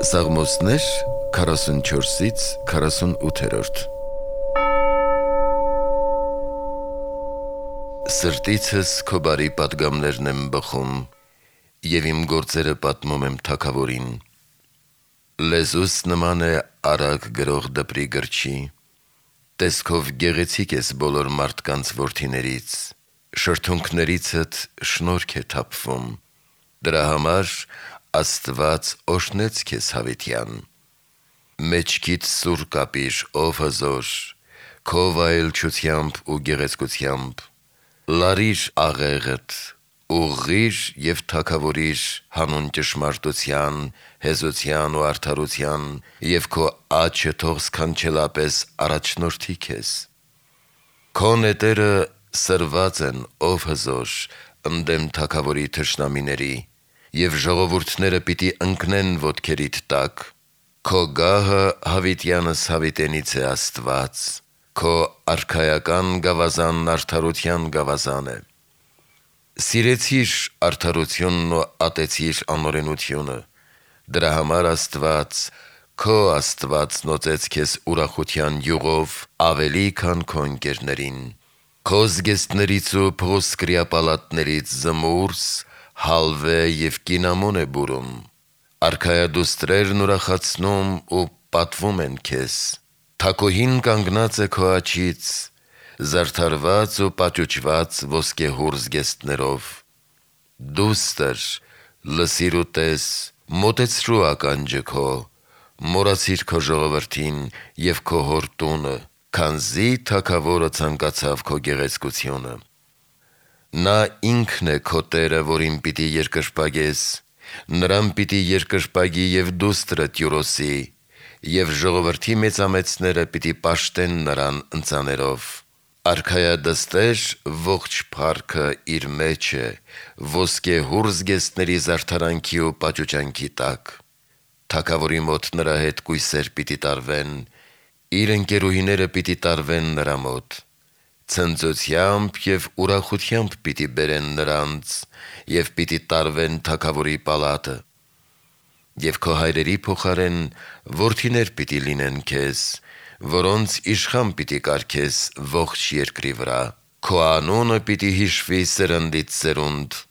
Սաղմոսներ 44-ից 48-րդ Սրտիցս քո բարի պատգամներն եմ բխում, և իմ գործերը պատմում եմ թագավորին։ Լեզուս նման է արագ գրող դպրի գրչի, տեսքով գեղեցիկ ես բոլոր մարդկանց որդիներից, շրթունքներիցդ շնորհք է թափվում, դրա համար Աստված օրհնեց քեզ հավիտյան։ Մեջքիդ սուր կապիր, ով հզոր, քո վայելչությամբ ու գեղեցկությամբ, լարիր աղեղդ, ուղղիր և թագավորիր հանուն ճշմարտության, հեզության ու արդարության, և քո աջը թող սքանչելապես առաջնորդի քեզ։ Քո նետերը սրված են, ով հզոր, ընդդեմ թագավորի թշնամիների, և ժողովուրդները պիտի ընկնեն ոտքերիդ տակ։ Քո գահը հավիտյանս հավիտենից է Աստված, քո արքայական գավազանն արդարության գավազան է։ Սիրեցիր արդարությունն ու ատեցիր անօրենությունը, դրա համար Աստված, քո Աստվածն օծեց քեզ ուրախության յուղով ավելի, քան քո ընկերներին։ Քո զգեստներից ու փղոսկրյա պալատներից զմուրս, հալվե և կինամոն է բուրում։ Արքայադուստրերն ուրախացնում ու պատվում են քեզ։ Թագուհին կանգնած է քո աջից, զարդարված ու պաճուճված ոսկեհուռ զգեստներով։ Դուստր, լսիր ու տես, մոտեցրու ականջը քո, մոռացիր քո ժողովրդին և քո հոր տունը, քանզի թագավորը ցանկացավ քո գեղեցկությունը։ Նա ինքն է քո Տերը, որին պիտի երկրպագես, նրան պիտի երկրպագի և դուստրը տյուրոսի, և ժողովրդի մեծամեծները պիտի պաշտեն նրան ընծաներով։ Արքայադստեր ողջ փառքը իր մեջ է, ոսկեհուռ զգեստների զարդարանքի ու պաճուճանքի տակ։ Թագավորի մոտ նրա հետ կույսեր պիտի տարվեն, իր ընկերուհիները պիտի տարվեն նրա մոտ։ Ցնծությամբ և ուրախությամբ պիտի բերեն նրանց, և պիտի տարվեն թագավորի պալատը։ Եվ քո հայրերի փոխարեն որդիներ պիտի լինեն քեզ, որոնց իշխան պիտի կարգես ողջ երկրի վրա։ Քո անունը պիտի հիշվի սերնդից սերունդ,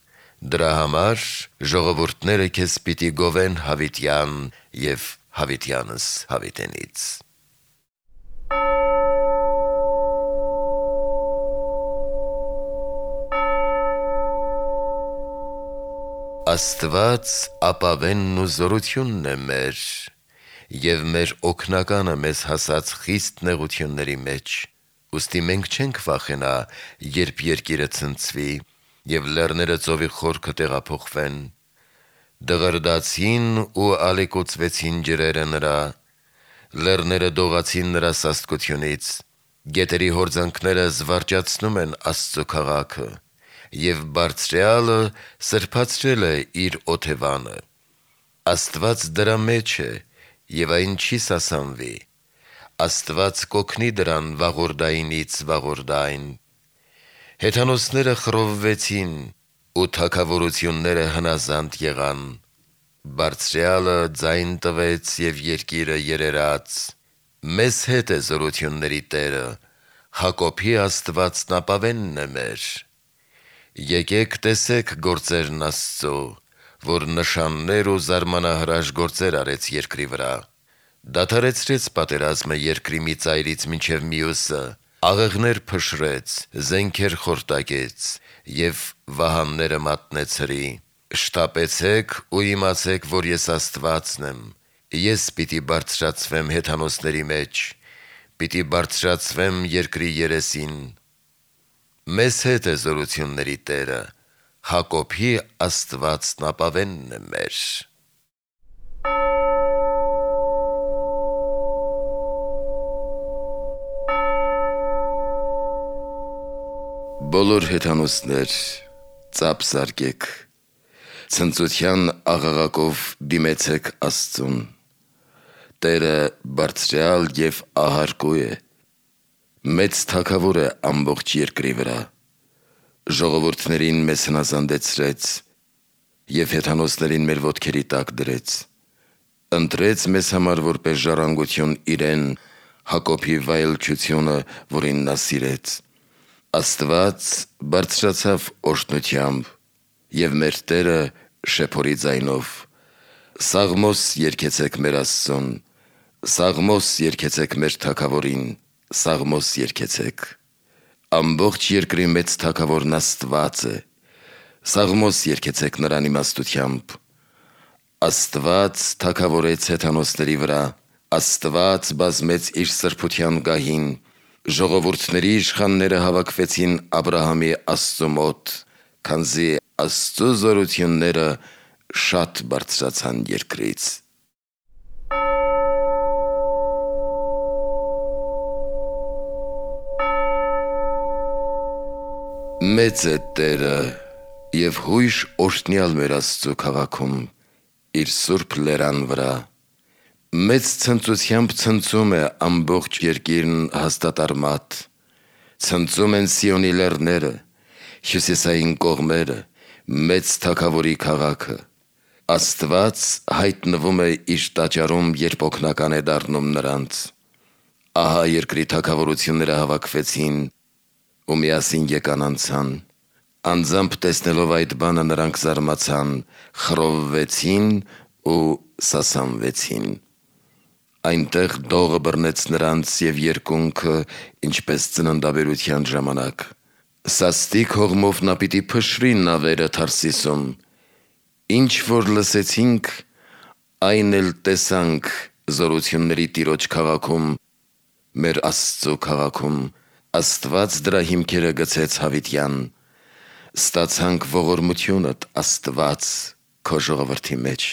դրա համար ժողովուրդները քեզ պիտի գովեն հավիտյան և հավիտյանս հավիտենից։ Աստված ապավենն ու զորությունն է մեր, և մեր օգնականը մեզ հասած խիստ նեղությունների մեջ։ Ուստի մենք չենք վախենա, երբ երկիրը ցնցվի, և լեռները ծովի խորքը տեղափոխվեն։ Դղրդացին ու ալեկոծվեցին ջրերը նրա, լեռները դողացին նրա սաստկությունից, գետերի հորձանքները զվարճացնում են Աստծո քաղաքը, և Բարձրյալը սրբացրել է իր օթևանը։ Աստված դրա մեջ է, և այն չի սասանվի։ Աստված կօգնի դրան վաղորդայինից վաղորդայն։ Հեթանոսները խռովվեցին, ու թագավորությունները հնազանդ եղան։ Բարձրյալը ձայն տվեց, և երկիրը երերաց։ Մեզ հետ է զորությունների Տերը, Հակոբի Աստվածն ապավենն է մեր։ Եկեք տեսեք գործերն Աստծո, որ նշաններ ու զարմանահրաշ գործեր արեց երկրի վրա։ Դադարեցրեց պատերազմը երկրի մի ծայրից մինչև մյուսը, աղեղներ փշրեց, զենքեր խորտակեց և վահանները մատնեց հրի։ Շտապեցեք ու իմացեք, որ ես Աստվածն եմ։ Ես պիտի բարձրացվեմ հեթանոսների մեջ, պիտի բարձրացվեմ երկրի երեսին։ Մեզ հետ է զորությունների Տերը, Հակոբի Աստվածն ապավենն է մեր։ Բոլոր հեթանոսներ, ծափ զարկեք, ցնծության աղաղակով դիմեցեք Աստծուն։ Տերը բարձրյալ և ահարկու է, մեծ թագավոր է ամբողջ երկրի վրա։ ժողովուրդներին մեզ հնազանդեցրեց և հեթանոսներին մեր ոտքերի տակ դրեց, ընտրեց մեզ համար որպես ժառանգություն իրեն, Հակոբի վայելչությունը, որին նա սիրեց։ Աստված բարձրացավ օրհնությամբ և մեր Տերը շեփորի ձայնով. Սաղմոս երգեցեք մեր Աստծուն, սաղմոս երգեցեք մեր Թագավորին, սաղմոս երգեցեք։ Ամբողջ երկրի մեծ Թագավորն Աստված է, սաղմոս երգեցեք նրան իմաստությամբ։ Աստված թագավորեց հեթանոսների վրա, Աստված բազմեց իր սրբության գահին, ժողովուրդների իշխանները հավաքվեցին Աբրահամի Աստծու մոտ, քանզի Աստծու զորությունները շատ բարձրացան երկրից։ Մեծ է Տերը և հույժ օրհնյալ մեր Աստծու քաղաքում, իր սուրբ լերան վրա։ Մեծ ցնծությամբ ցնծում է ամբողջ երկիրն հաստատարմատ, ցնծում են Սիոնի լեռները, հյուսիսային կողմերը, մեծ Թագավորի քաղաքը։ Աստված հայտնվում է իր տաճարում, երբ օգնական է դառնում նրանց։ Ահա երկրի թագավորությունները հավաքվեցին ու միասին եկան անցան։ Անձամբ տեսնելով այդ բանը նրանք զարմացան, խռովվեցին ու սասանվեցին։ Այնտեղ դողը բռնեց նրանց և երկունքը, ինչպես ծննդաբերության ժամանակ։ Սաստիկ հողմով նա պիտի փշրի նավերը Թարսիսում։ Ինչ որ լսեցինք, այն էլ տեսանք զորությունների Տիրոջ քաղաքում, մեր Աստծու քաղաքում։ Աստված դրա հիմքերը գցեց հավիտյան։ Ստացանք ողորմությունդ, Աստված, քո ժողովրդի մեջ։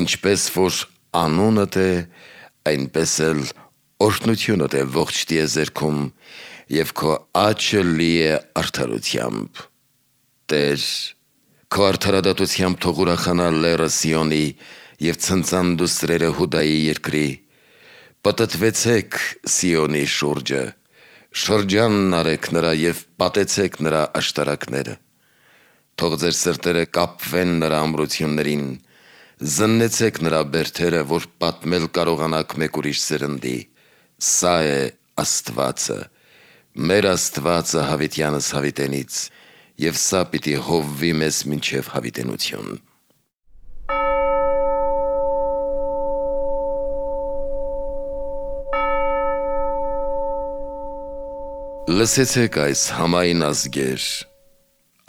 Ինչպես որ անունդ է, այնպես էլ օրհնությունդ է ողջ տիեզերքում, և քո աջը լի է արդարությամբ։ Տեր, քո արդարադատությամբ թող ուրախանա լեռը Սիոնի և ցնծան դուստրերը Հուդայի երկրի։ Պտտվեցեք Սիոնի շուրջը, շրջանն արեք նրա և պատեցեք նրա աշտարակները։ Թող ձեր սրտերը կապվեն նրա ամրություններին, զննեցեք նրա բերդերը, որ պատմել կարողանաք մեկ ուրիշ սերնդի։ Սա է Աստվածը, մեր Աստվածը հավիտյանս հավիտենից, և սա պիտի հովվի մեզ մինչև հավիտենություն։ Լսեցեք այս համայն ազգեր,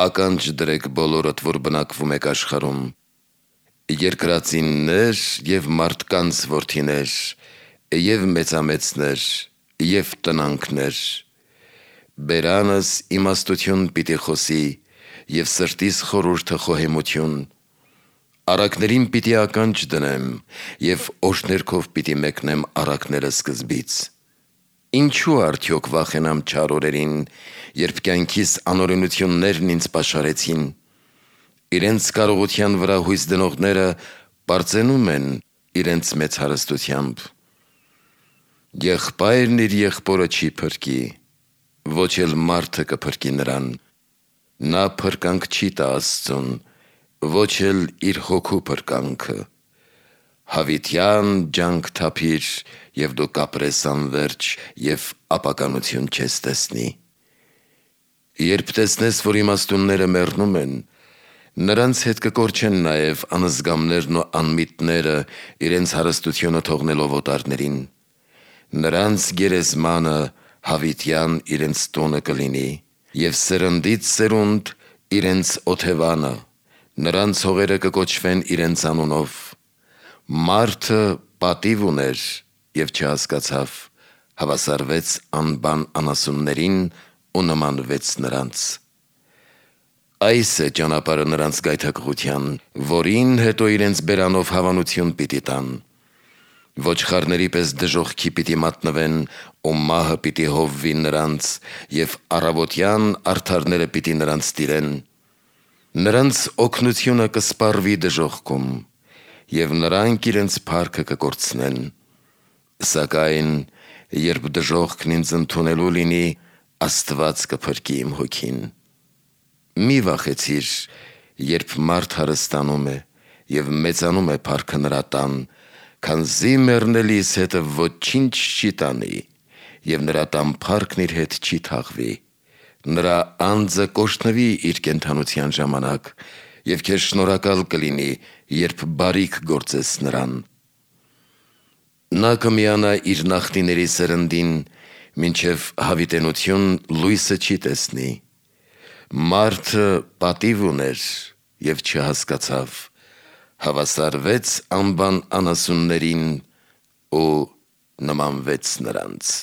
ականջ դրեք բոլորդ, որ բնակվում եք աշխարհում, երկրածիններ և մարդկանց որդիներ, և մեծամեծներ, և տնանքներ։ Բերանս իմաստություն պիտի խոսի, և սրտիս խորհուրդը խոհեմություն։ Առակներին պիտի ականջ դնեմ, և օջներքով պիտի մեկնեմ առակները սկզբից։ Ինչու արդյոք վախենամ չար օրերին, երբ կյանքիս անօրենություններն ինձ պաշարեցին։ Իրենց կարողության վրա հույս դնողները պարծենում են իրենց մեծ հարստությամբ։ Եղբայրն իր եղբորը չի փրկի, ոչ էլ մարդը կփրկի նրան։ Նա փրկանք չի տա Աստծուն, ոչ էլ իր հոգու փրկանքը։ Հավիտյան ջանք թափիր, և դու կապրես անվերջ, և ապականություն չես տեսնի։ Երբ տեսնես, որ իմաստունները մեռնում են, նրանց հետ կկորչեն նաև անզգամներն ու անմիտները, իրենց հարստությունը թողնելով օտարներին։ Նրանց գերեզմանը հավիտյան իրենց տունը կլինի, և սերնդից սերունդ իրենց օթևանը, նրանց հողերը կկոչվեն իրենց անունով։ Մարդը պատիվ ուներ և չհասկացավ, հավասարվեց անբան անասուններին ու նմանվեց նրանց։ Այս է ճանապարհը նրանց գայթակղության, որին հետո իրենց բերանով հավանություն պիտի տան։ Ոչխարների պես դժոխքի պիտի մատնվեն, ու մահը պիտի հովվի նրանց, և առավոտյան արդարները պիտի նրանց տիրեն։ Նրանց օգնությունը կսպառվի դժոխքում, և նրանք իրենց փառքը կկորցնեն։ Սակայն երբ դժոխքն ինձ ընդունելու լինի, Աստված կփրկի իմ հոգին։ Մի վախեցիր, երբ մարդ հարստանում է և մեծանում է փառքը նրա տան, քանզի մեռնելիս հետը ոչինչ չի տանի, և նրա տան փառքն իր հետ չի թաղվի։ Նրա անձը կօրհնվի իր կենդանության ժամանակ, և քեզ շնորհակալ կլինի, երբ բարիք գործես նրան։ Նա կմիանա իր նախնիների սերնդին, մինչև հավիտենություն լույսը չի տեսնի։ Մարդը պատիվ ուներ և չհասկացավ, հավասարվեց անբան անասուններին ու նմանվեց նրանց։